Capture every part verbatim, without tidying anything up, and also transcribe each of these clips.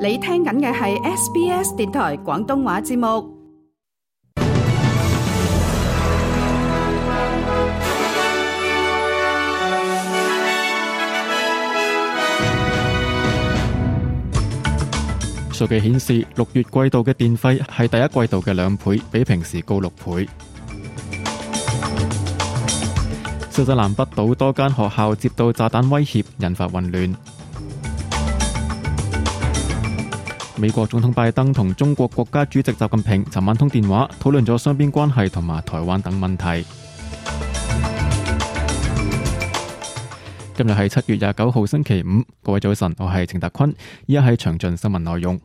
你聽緊嘅係 S B S 電台廣東話節目。數據顯示，六月季度嘅電費係第一季度嘅兩倍，比平時高六倍。新西蘭北島多間學校接到炸彈威脅，引發混亂。美國總統拜登同中國國家主席習近平尋晚通電話，討論咗雙邊關係同埋台灣等問題。今日係七月廿九號星期五，各位早晨，我係程達坤，依家係詳盡新聞內容。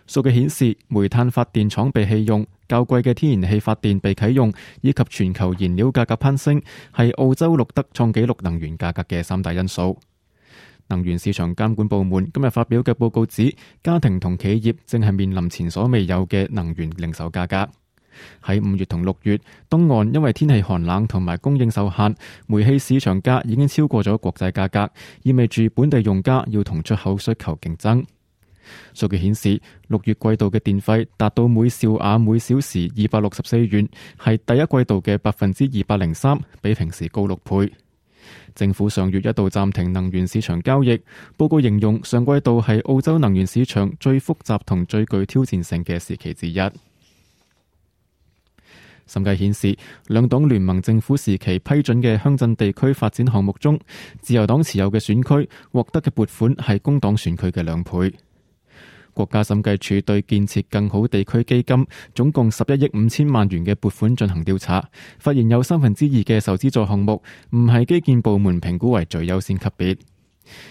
數據顯示，煤炭發電廠被棄用、較貴嘅天然氣發電被啟用，以及全球燃料價格攀升，係澳洲錄得創紀錄能源價格嘅三大因素。能源市場監管部門今日發表嘅報告指，家庭同企業正係面臨前所未有嘅能源零售價格。喺五月同六月，東岸因為天氣寒冷同埋供應受限，煤氣市場價已經超過咗國際價格，意味住本地用家要同出口需求競爭。數據顯示，六月季度嘅電費達到每兆瓦每小時二百六十四元，係第一季度嘅百分之二百零三，比平時高六倍。政府上月一度暫停能源市場交易，報告形容上季度係澳洲能源市場最複雜同最具挑戰性嘅時期之一。審計顯示，兩黨聯盟政府時期批准嘅鄉鎮地區發展項目中，自由黨持有嘅選區獲得嘅撥款係工黨選區嘅兩倍。國家審計署對建設更好地區基金總共十一億五千萬元嘅撥款進行調查，發現有三分之二嘅受資助項目唔係基建部門評估為最優先級別。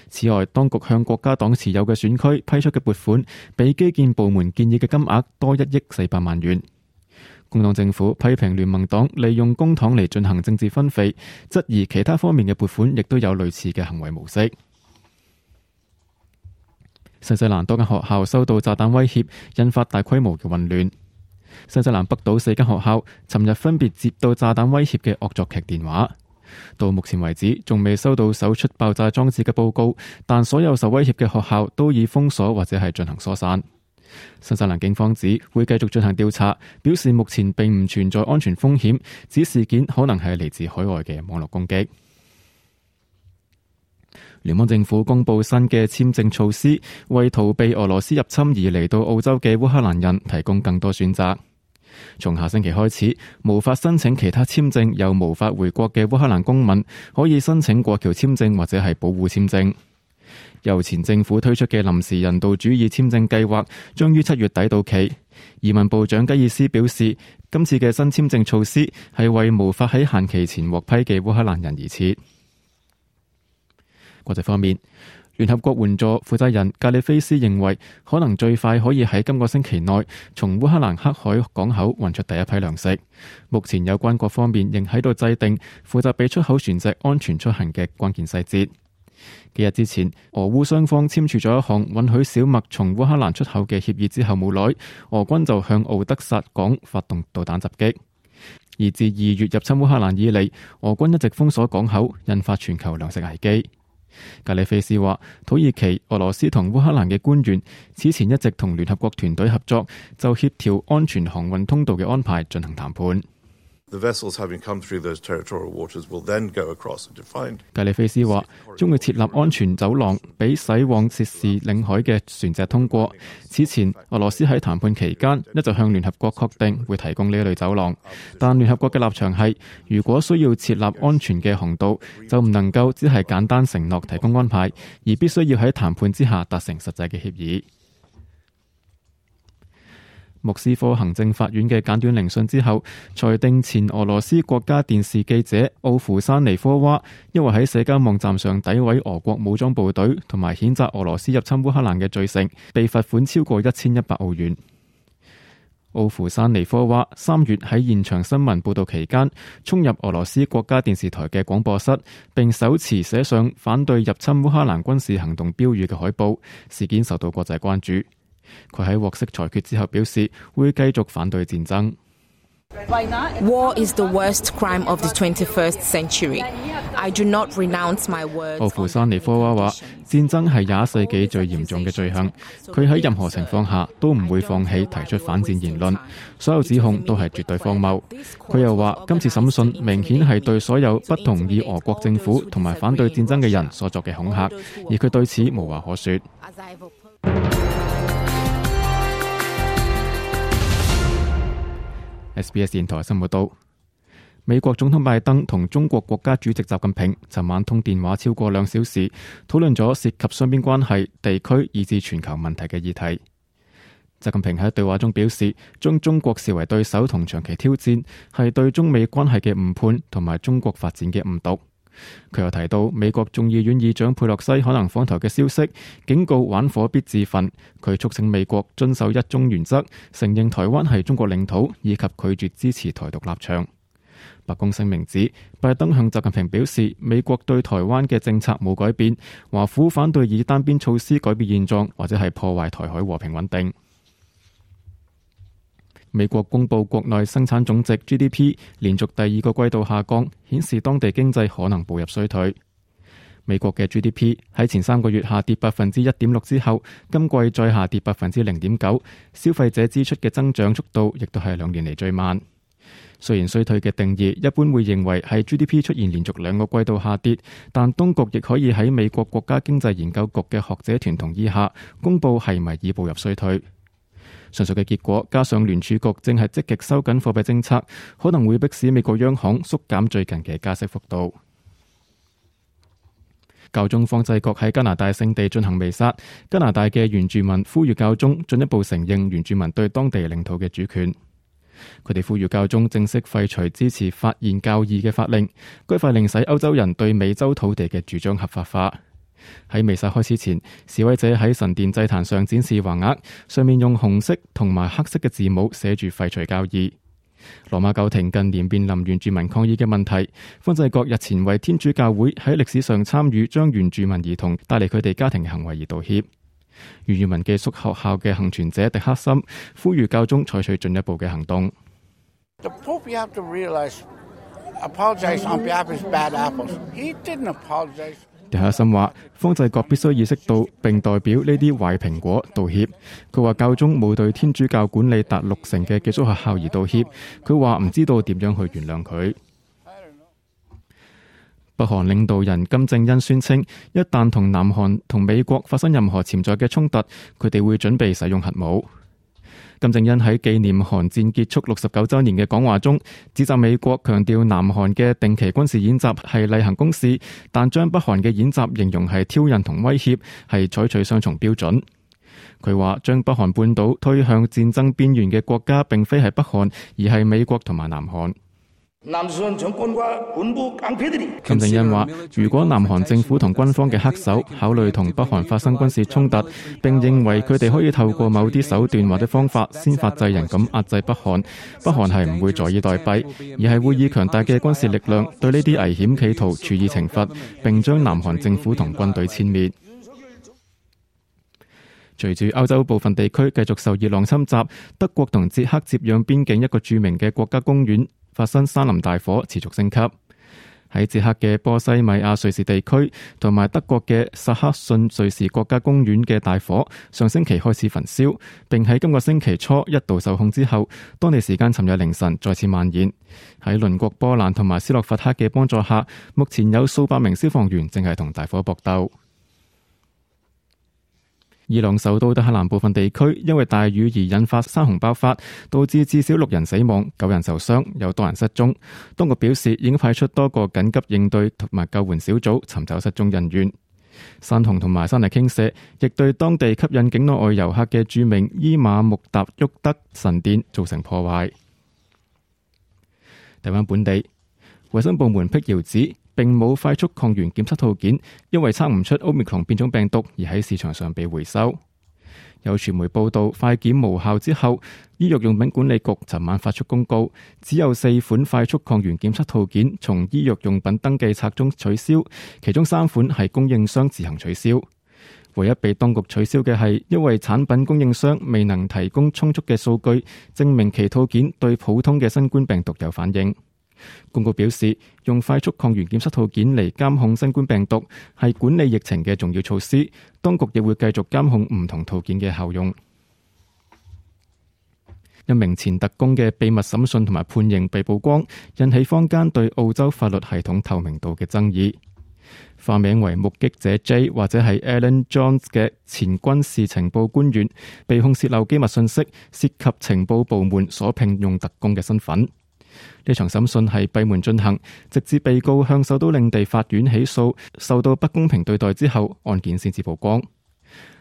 此外，當局向國家黨持有嘅選區批出嘅撥款，比基建部門建議嘅金額多一億四百萬元。工黨政府批評聯盟黨利用公帑嚟進行政治分肥，質疑其他方面嘅撥款亦都有類似嘅行為模式。新西蘭多間學校收到炸彈威脅，引發大規模嘅混亂。新西蘭北島四間學校尋日分別接到炸彈威脅嘅惡作劇電話，到目前為止仲未收到搜出爆炸裝置嘅報告，但所有受威脅嘅學校都已封鎖或者係進行疏散。新西蘭警方指會繼續進行調查，表示目前並唔存在安全風險，指事件可能係嚟自海外嘅網絡攻擊。聯邦政府公布新嘅簽證措施，為逃避俄羅斯入侵而嚟到澳洲嘅烏克蘭人提供更多選擇。從下星期開始，無法申請其他簽證又無法回國嘅烏克蘭公民可以申請過橋簽證或者係保護簽證。由前政府推出嘅臨時人道主義簽證計劃將於七月底到期。移民部長吉爾斯表示，今次嘅新簽證措施係為無法喺限期前獲批嘅烏克蘭人而設。國際方面，聯合國援助負責人格里菲斯認為，可能最快可以喺今個星期內從烏克蘭黑海港口運出第一批糧食。目前有關各方面仍喺度制定負責俾出口船隻安全出行嘅關鍵細節。幾日之前，俄烏雙方簽署咗一項允許小麥從烏克蘭出口嘅協議之後冇耐，俄軍就向敖德薩港發動導彈襲擊。而自二月入侵烏克蘭以嚟，俄軍一直封鎖港口，引發全球糧食危機。格里菲斯話，土耳其、俄羅斯同烏克蘭嘅官員此前一直同聯合國團隊合作，就協調安全航運通道嘅安排進行談判。格里菲斯話，將會設立安全走廊，俾駛往涉事領海嘅船隻通過。此前，俄羅斯喺談判期間一直向聯合國確定會提供呢一類走廊，但聯合國嘅立場係，如果需要設立安全嘅航道，就唔能夠只係簡單承諾提供安排，而必須要喺談判之下達成實際嘅協議。莫斯科行政法院嘅簡短聆訊之後，裁定前俄羅斯國家電視記者奧夫山尼科娃因為喺社交網站上詆毀俄國武裝部隊同埋譴責俄羅斯入侵烏克蘭嘅罪成，被罰款超過一千一百澳元。奧夫山尼科娃三月喺現場新聞報道期間衝入俄羅斯國家電視台嘅廣播室，並手持寫上反對入侵烏克蘭軍事行動標語嘅海報，事件受到國際關注。佢喺獲釋裁決之後表示，會繼續反對戰爭。War is the worst crime of the twenty-first century. I do not renounce my words. 奧夫山尼科娃話：戰爭係廿一世紀最嚴重嘅罪行。佢喺任何情況下都唔會放棄提出反戰言論，所有指控都係絕對荒謬。佢又話：今次審訊明顯係對所有不同意俄國政府同埋反對戰爭嘅人所作嘅恐嚇，而佢對此無話可說。S B S 電台新聞報道，美國總統拜登同中國國家主席習近平尋晚通電話超過兩小時，討論咗涉及雙邊關係、地區以至全球問題嘅議題。習近平喺對話中表示，將中國視為對手同長期挑戰，係對中美關係嘅誤判同埋中國發展嘅誤讀。佢又提到美國眾議院議長佩洛西可能訪台嘅消息，警告玩火必自焚。佢促請美國遵守一中原則，承認台灣係中國領土，以及拒絕支持台獨立場。白宮聲明指，拜登向習近平表示，美國對台灣嘅政策冇改變，華府反對以單邊措施改變現狀，或者係破壞台海和平穩定。美國公布國內生產總值 G D P 連續第二個季度下降，顯示當地經濟可能步入衰退。美國嘅 G D P 喺前三個月下跌百分之一點六之後，今季再下跌百分之零點九，消費者支出嘅增長速度亦都係兩年嚟最慢。雖然衰退嘅定義一般會認為係 G D P 出現連續兩個季度下跌，但當局亦可以喺美國國家經濟研究局嘅學者團同意下，公佈係咪已步入衰退。上述嘅結果，加上聯儲局正係積極收緊貨幣政策，可能會迫使美國央行縮減最近嘅加息幅度。教宗方濟各喺加拿大聖地進行彌撒，加拿大嘅原住民呼籲教宗進一步承認原住民對當地領土嘅主權。佢哋呼籲教宗正式廢除支持發現教義嘅法令，該法令使歐洲人對美洲土地嘅主張合法化。喺彌撒開始前，示威者喺神殿祭壇上展示橫額，上面用紅色同埋黑色嘅字母寫住廢除教義。羅馬教廷近年面臨原住民抗議嘅問題，方濟各日前為天主教會喺歷史上參與將原住民兒童帶嚟佢哋家庭嘅行為而道歉。原住民寄宿學校嘅幸存者迪克森呼籲教宗採取進一步嘅行動。迪克森話：方濟各必須意識到並代表呢啲壞蘋果道歉。佢話教宗冇對天主教管理達六成嘅寄宿學校而道歉。佢話唔知道點樣去原諒佢。北韓領導人金正恩宣稱，一旦同南韓同美國發生任何潛在嘅衝突，佢哋會準備使用核武。金正恩喺紀念韓戰結束六十九週年嘅講話中，指責美國強調南韓嘅定期軍事演習係例行公事，但將北韓嘅演習形容係挑釁同威脅，係採取雙重標準。佢話將北韓半島推向戰爭邊緣嘅國家並非係北韓，而係美國同埋南韓。金正恩話：如果南韓政府同軍方嘅黑手考慮同北韓發生軍事衝突，並認為佢哋可以透過某啲手段或者方法先發制人咁壓制北韓，北韓係唔會坐以待斃，而係會以強大嘅軍事力量對呢啲危險企圖處以懲罰，並將南韓政府同軍隊殲滅。隨住歐洲部分地區繼續受熱浪侵襲，德國同捷克接壤邊境一個著名嘅國家公園發生山林大火，持續升級。喺捷克嘅波西米亞瑞士地區同埋德國嘅薩克遜瑞士國家公園嘅大火，上星期開始焚燒，並喺今個星期初一度受控之後，當地時間尋日凌晨再次蔓延。喺鄰國波蘭同埋斯洛伐克嘅幫助下，目前有數百名消防員正係同大火搏鬥。伊朗首都德黑蘭部分地區因為大雨而引發山洪爆發，導致至少六人死亡、九人受傷，有多人失蹤。當局表示已經派出多個緊急應對同埋救援小組尋找失蹤人員。山洪同埋山泥傾瀉亦對當地吸引境內外遊客嘅著名伊瑪目達沃德神殿造成破壞。睇返本地，衛生部門辟謠指並冇快速抗原檢測套件，因為測唔出 Omicron 變種病毒而喺市場上被回收。有傳媒報道，快檢無效之後，醫藥用品管理局尋晚發出公告，只有四款快速抗原檢測套件從醫藥用品登記冊中取消，其中三款係供應商自行取消。唯一被當局取消嘅係因為產品供應商未能提供充足嘅數據，證明其套件對普通嘅新冠病毒有反應。公告表示，用快速抗原檢測套件嚟監控新冠病毒係管理疫情嘅重要措施，當局亦會繼續監控唔同套件嘅效用。一名前特工嘅秘密審訊同埋判刑被曝光，引起坊間對澳洲法律系統透明度嘅爭議。化名為目擊者 J 或者係 Alan Jones 嘅前軍事情報官員，被控洩漏機密信息，涉及情報部門所聘用特工嘅身份。呢場審訊係閉門進行，直至被告向首都領地法院起訴，受到不公平對待之後，案件先至曝光。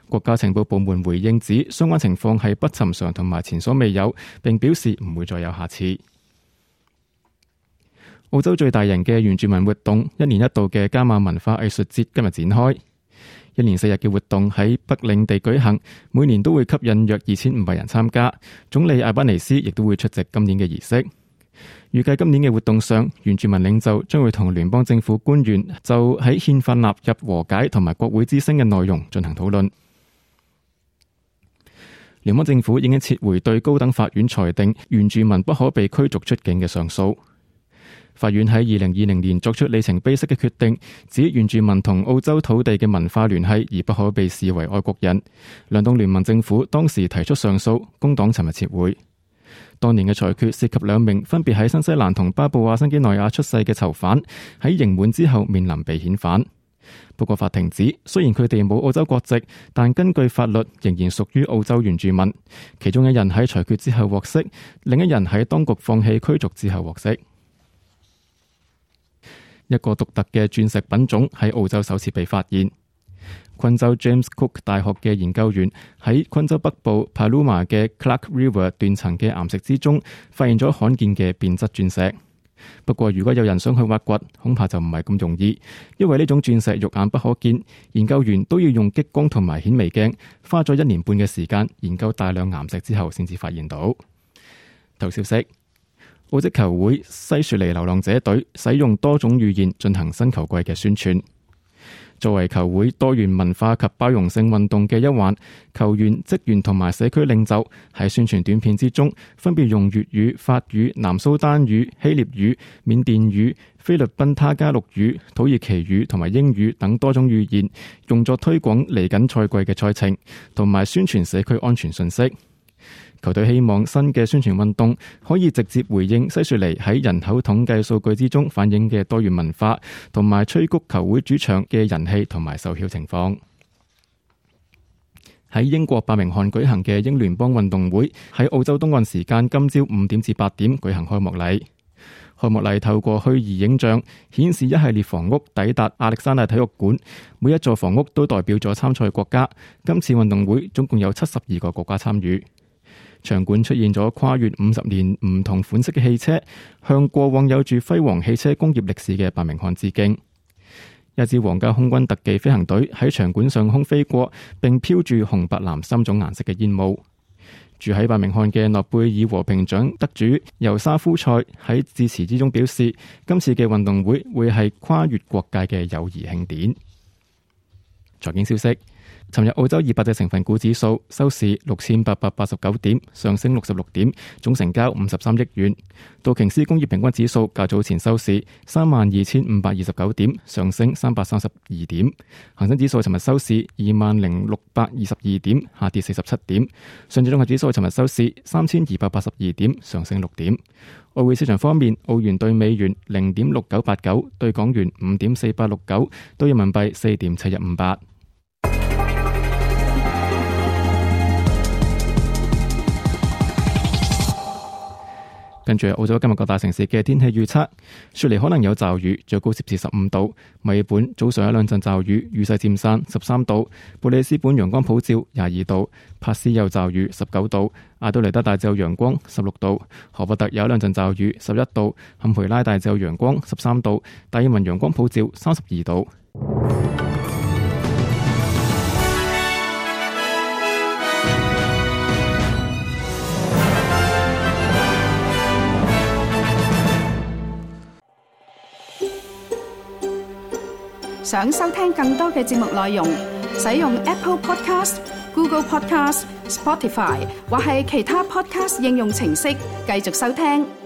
國家情報部門回應指，相關情況係不尋常同埋前所未有，並表示唔會再有下次。澳洲最大型嘅原住民活動，一年一度嘅加馬文化藝術節今日展開，一連四日嘅活動喺北領地舉行，每年都會吸引約二千五百人參加。總理阿巴尼斯亦都會出席今年嘅儀式。預計今年嘅活動上，原住民領袖將會同聯邦政府官員就喺憲法納入和解同埋國會之聲嘅內容進行討論。聯邦政府已經撤回對高等法院裁定原住民不可被驅逐出境嘅上訴。法院喺二零二零年作出里程碑式嘅決定，指原住民同澳洲土地嘅文化聯繫而不可被視為外國人。兩黨聯盟政府當時提出上訴，工黨尋日撤回。當年嘅裁決涉及兩名分別喺新西蘭同巴布亞新幾內亞出世嘅囚犯，喺刑滿之後面臨被遣返。不過法庭指，雖然佢哋冇澳洲國籍，但根據法律仍然屬於澳洲原住民。其中一人喺裁決之後獲釋，另一人喺當局放棄驅逐之後獲釋。一個獨特嘅鑽石品種喺澳洲首次被發現。昆州 James Cook 大學嘅研究員喺昆州北部 Paluma 嘅 Clark River 斷層嘅岩石之中，發現咗罕見嘅變質鑽石。不過如果有人想去挖掘，恐怕就唔係咁容易，因為呢種鑽石肉眼不可見，研究員都要用激光同埋顯微鏡，花咗一年半嘅時間研究大量岩石之後，先至發現到。頭消息：澳職球會西雪梨流浪者隊使用多種語言進行新球季嘅宣傳。作為球會多元文化及包容性運動嘅一環，球員、職員同埋社區領袖喺宣傳短片之中，分別用粵語、法語、南蘇丹語、希臘語、緬甸語、菲律賓他加祿語、土耳其語同埋英語等多種語言，用作推廣嚟緊賽季嘅賽程，同埋宣傳社區安全信息。球隊希望新嘅宣傳運動可以直接回應西雪梨喺人口統計數據之中反映嘅多元文化，同埋催谷球會主場嘅人氣同埋售票情況。喺英國伯明翰舉行嘅英聯邦運動會喺澳洲東岸時間今朝五點至八點舉行開幕禮。開幕禮透過虛擬影像顯示一系列房屋抵達亞歷山大體育館，每一座房屋都代表咗參賽國家。今次運動會總共有七十二個國家參與。場館出現咗跨越五十年唔同款式嘅汽車，向過往有住輝煌汽車工業歷史嘅伯明翰致敬。一支皇家空軍特技飛行隊喺場館上空飛過，並飄住紅白藍三種顏色嘅煙霧。住喺伯明翰嘅諾貝爾和平獎得主尤沙夫塞喺致辭之中表示，今次嘅運動會會係跨越國界嘅友誼慶典。財經消息。尋日澳洲二百隻成分股指數收市六千八百八十九點，上升六十六點，總成交五十三億元。道瓊斯工業平均指數較早前收市三萬二千五百二十九點，上升三百三十二點。恒生指數尋日收市二萬零六百二十二點，下跌四十七點。上證綜合指數尋日收市三千二百八十二點，上升六點。外匯市場方面，澳元兌美元零點六九八九，兌港元五點四八六九，兌人民幣四點七一五八。跟住澳洲今日各大城市嘅天氣預測：雪梨可能有驟雨，最高攝氏十五度；墨爾本早上有兩陣驟雨，雨勢漸散，十三度；布里斯本陽光普照，廿二度；帕斯有驟雨，十九度；阿德雷德大晝陽光，十六度；荷伯特有兩陣驟雨，十一度；坎培拉大晝陽光，十三度；達爾文陽光普照，三十二度。想收聽更多嘅節目內容，使用 Apple Podcast、Google Podcast、Spotify 或係其他 Podcast 應用程式繼續收聽。